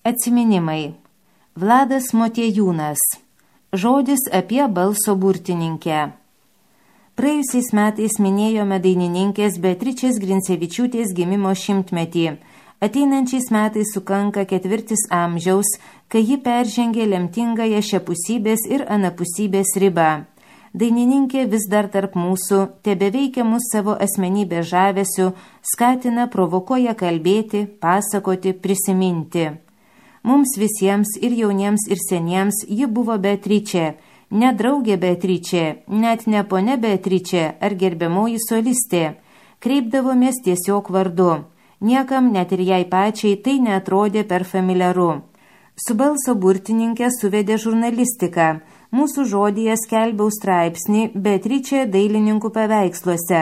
Atsiminimai. Vladas Motiejūnas. Žodis apie balso burtininkę. Praėjusiais metais minėjome dainininkės Beatričės Grincevičiūtės gimimo 100-metį. Ateinančiais metais sukanka 4 amžiaus, kai ji peržengė lemtingąją šiapusybės ir anapusybės ribą. Dainininkė vis dar tarp mūsų, tebeveikia mus savo asmenybės žavesiu, skatina, provokuoja kalbėti, pasakoti, prisiminti. Mums visiems, ir jauniems, ir seniems, ji buvo Beatričė, ne draugė Beatričė, net ne ponia Beatričė ar gerbiamoji solistė. Kreipdavomės tiesiog vardu. Niekam, net ir jai pačiai, tai neatrodė per familiaru. Su balso burtininkė suvedė žurnalistiką. Mūsų žodyje skelbiau straipsnį Beatričė dailininkų paveiksluose.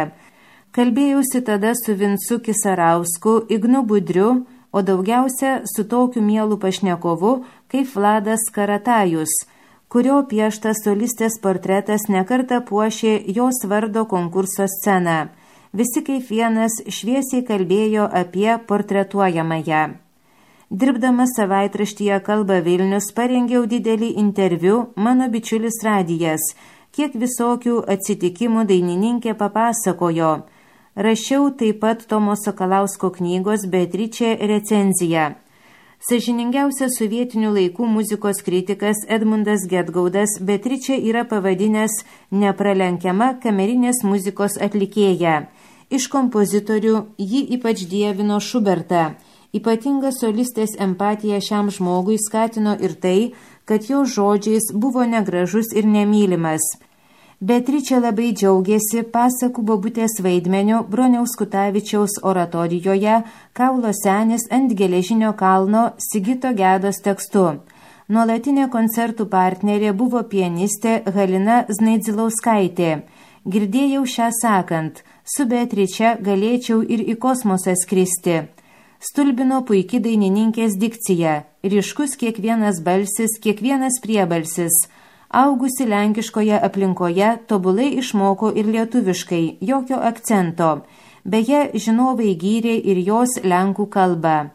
Kalbėjausi tada su Vincu Kisarausku, Ignu Budriu, o daugiausia su tokiu mielu pašnekovu kaip Vladas Karatajus, kurio pieštas solistės portretas nekartą puošė jos vardo konkurso sceną. Visi kaip vienas šviesiai kalbėjo apie portretuojamąją. Dirbdamas savaitraštyje Kalba Vilnius parengiau didelį interviu Mano bičiulis Radijas, kiek visokių atsitikimų dainininkė papasakojo. Rašiau taip pat Tomo Sakalausko knygos Beatričė recenziją. Sąžiningiausias sovietinių laikų muzikos kritikas Edmundas Gedgaudas Beatričė yra pavadinęs nepralenkiama kamerinės muzikos atlikėja. Iš kompozitorių ji ypač dievino Šubertą. Ypatinga solistės empatija šiam žmogui skatino ir tai, kad jo žodžiais buvo negražus ir nemylimas. Beatričė labai džiaugiasi pasakų bobutės vaidmeniu Broniaus Kutavičiaus oratorijoje Kaulo senis ant geležinio kalno Sigito Gedos tekstu. Nuolatinė koncertų partnerė buvo pianistė Halina Znaidzilauskaitė. Girdėjau šią sakant, su Beatriče galėčiau ir į kosmosą skristi. Stulbino puiki dainininkės dikcija, ryškus kiekvienas balsis, kiekvienas priebalsis. Augusi lenkiškoje aplinkoje, tobulai išmoko ir lietuviškai, jokio akcento. Beje, žinovai gyrė ir jos lenkų kalbą.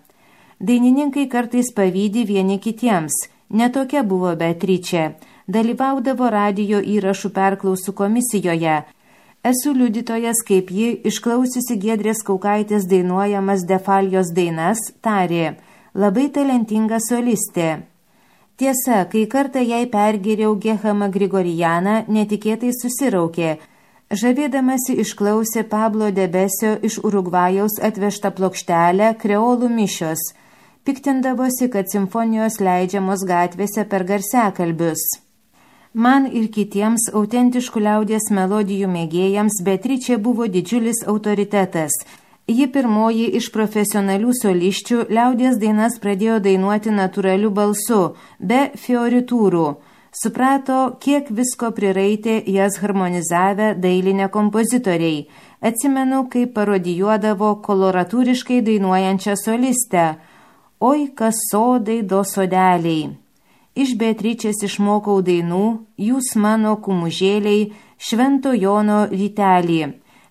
Dainininkai kartais pavydi vieni kitiems. Netokia buvo Beatričė. Dalyvaudavo radijo įrašų perklausų komisijoje. Esu liudytojas, kaip ji, išklausiusi Giedrės Kaukaitės dainuojamas Defalijos dainas, tarė: labai talentinga solistė. Tiesa, kai kartą jai pergėriau Gehamą Grigorijaną, netikėtai susiraukė. Žavėdamasi išklausė Pablo Debesio iš Urugvajaus atvežtą plokštelę Kreolų mišios. Piktindavosi, kad simfonijos leidžiamos gatvėse per garsiakalbius. Man ir kitiems autentiškų liaudies melodijų mėgėjams Beatričė buvo didžiulis autoritetas. Ji pirmoji iš profesionalių soliščių liaudies dainas pradėjo dainuoti natūraliu balsu, be fioritūrų. Suprato, kiek visko priraitė jas harmonizavę dailinę kompozitoriai. Atsimenu, kaip parodijuodavo koloratūriškai dainuojančią solistę. Oi, kas sodai do sodeliai. Iš Beatričės išmokau dainų, jūs mano kumužėliai, Švento Jono rytelį.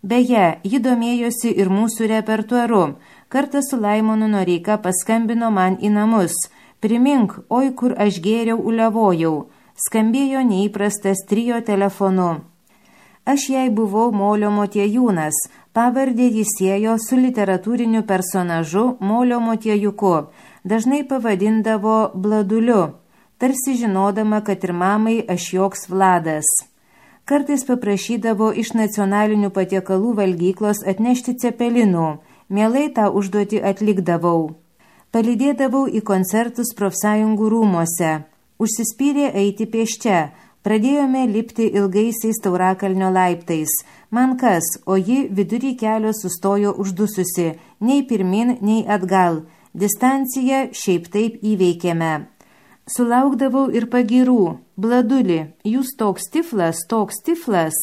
Beje, ji domėjosi ir mūsų repertuaru. Kartą su Laimonu Noreika paskambino man į namus. Primink, oi kur aš gėriau uliavojau. Skambėjo neįprastas trio telefonu. Aš jai buvau Molio Motiejūnas. Pavardė jis siejo su literatūriniu personažu Molio Motiejuku. Dažnai pavadindavo Bladuliu, tarsi žinodama, kad ir mamai aš joks Vladas. Kartais paprašydavo iš nacionalinių patiekalų valgyklos atnešti cepelinų. Mielai tą užduotį atlikdavau. Palydėdavau į koncertus profsąjungų rūmose. Užsispyrė eiti pėsčia. Pradėjome lipti ilgaisiais Taurakalnio laiptais. Man kas, o ji vidury kelio sustojo uždususi. Nei pirmin, nei atgal. Distanciją šiaip taip įveikėme. Sulaukdavau ir pagyrų. Bladuli, jūs toks tiflas.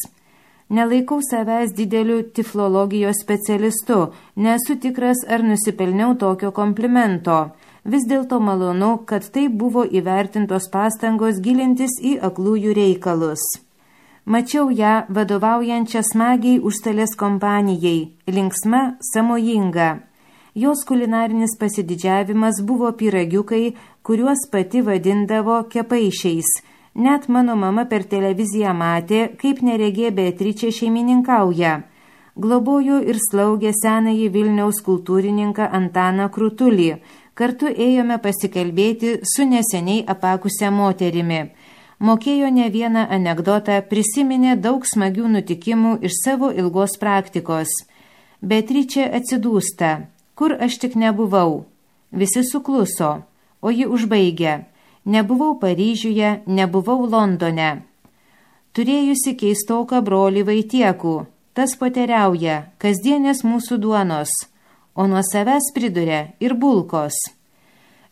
Nelaikau savęs dideliu tiflologijos specialistu, nesu tikras, ar nusipelniau tokio komplimento. Vis dėlto malonu, kad tai buvo įvertintos pastangos gilintis į aklųjų reikalus. Mačiau ją vadovaujančią smagiai užstalės kompanijai, linksma, sąmojinga. Jos kulinarinis pasididžiavimas buvo pyragiukai, kuriuos pati vadindavo kepaišiais. Net mano mama per televiziją matė, kaip neregė Beatričė šeimininkauja. Globojo ir slaugė senąjį Vilniaus kultūrininką Antaną Krutulį. Kartu ėjome pasikalbėti su neseniai apakusia moterimi. Mokėjo ne vieną anekdotą, prisiminė daug smagių nutikimų iš savo ilgos praktikos. Beatričė atsidūsta. Kur aš tik nebuvau? Visi sukluso, o ji užbaigė. Nebuvau Paryžiuje, nebuvau Londone. Turėjusi keistoką brolį Vaitiekų, tas poteriauja, kasdienės mūsų duonos, o nuo savęs priduria ir bulkos.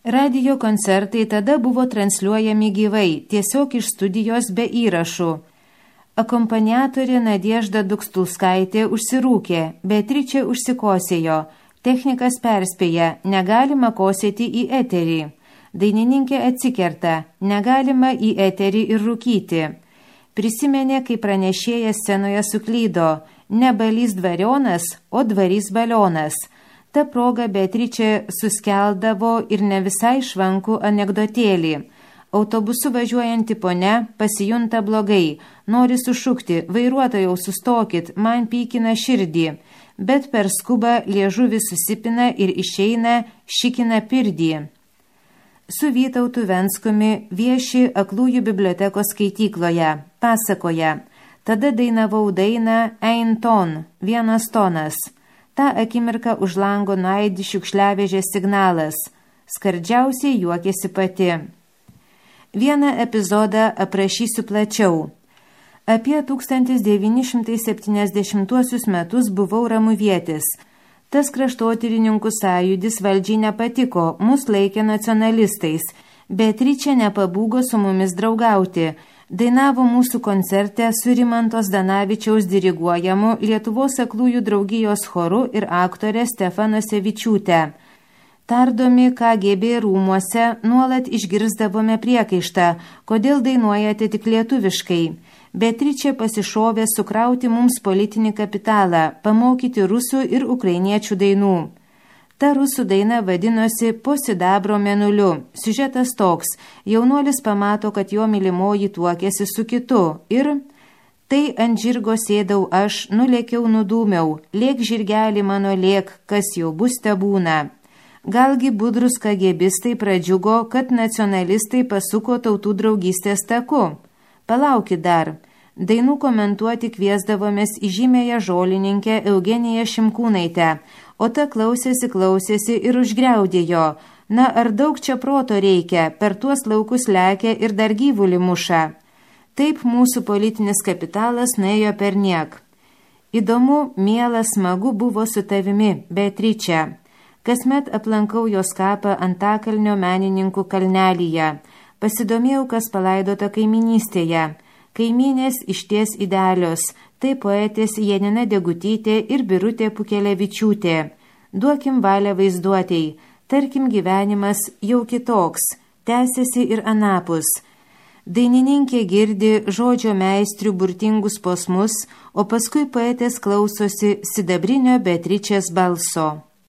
Radio koncertai tada buvo transliuojami gyvai, tiesiog iš studijos be įrašų. Akompaniatorė Nadiežda Dukstulskaitė užsirūkė, Beatričė užsikosėjo, technikas perspėja, negalima kosėti į eterį. Dainininkė atsikerta, negalima į eterį ir rūkyti. Prisimenė, kai pranešėjas scenoje suklydo, ne balys dvarionas, o dvarys balionas. Ta proga Beatričė suskeldavo ir ne visai švankų anekdotėlį. Autobusu važiuojanti ponia pasijunta blogai, nori sušukti, vairuotojau sustokit, man pykina širdį, bet per skubą liežuvis susipina ir išeina šikina pirdį. Su Vytautu Venskumi vieši Aklųjų bibliotekos skaitykloje, pasakoja, tada dainavau dainą Ein ton, vienas tonas. Ta akimirka už lango nuaidi šiukšliavežės signalas. Skardžiausiai juokėsi pati. Vieną epizodą aprašysiu plačiau. Apie 1970 metus buvau ramuvietis. Tas kraštotyrininkų sąjūdis valdžiai nepatiko, mus laikė nacionalistais. Beatričė nepabūgo su mumis draugauti. Dainavo mūsų koncerte su Rimantos Danavičiaus diriguojamu Lietuvos aklųjų draugijos choru ir aktorė Stefana Sevičiūtė. Tardomi KGB rūmuose nuolat išgirsdavome priekaištą, kodėl dainuojate tik lietuviškai. Beatričė pasišovė sukrauti mums politinį kapitalą, pamokyti rusų ir ukrainiečių dainų. Ta rusų daina vadinosi Po sidabro mėnuliu. Siužetas toks. Jaunuolis pamato, kad jo mylimoji tuokėsi su kitu ir tai ant žirgo sėdau aš, nulėkiau nudūmiau. Lėk žirgelį mano lėk, kas jau bus tebūna. Galgi budrus kagebistai pradžiugo, kad nacionalistai pasuko tautų draugystės taku. Palaukit dar. Dainų komentuoti kviesdavomės į žymėją žolininkę Eugeniją Šimkūnaitę, o ta klausėsi ir užgriaudėjo. Na, ar daug čia proto reikia, per tuos laukus lekia ir dar gyvulį muša. Taip mūsų politinis kapitalas nuėjo perniek. Įdomu, miela, smagu buvo su tavimi, Beatričė. Kasmet aplankau jos kapą Antakalnio menininkų kalnelyje. Pasidomėjau, kas palaidota kaiminystėje. Kaimynės išties idealios, tai poetės Janina Degutytė ir Birutė Pukelevičiūtė. Duokim valią vaizduotei, tarkim gyvenimas jau kitoks, tęsiasi ir anapus. Dainininkė girdi žodžio meistrių burtingus posmus, o paskui poetės klausosi sidabrinio Beatričės balso.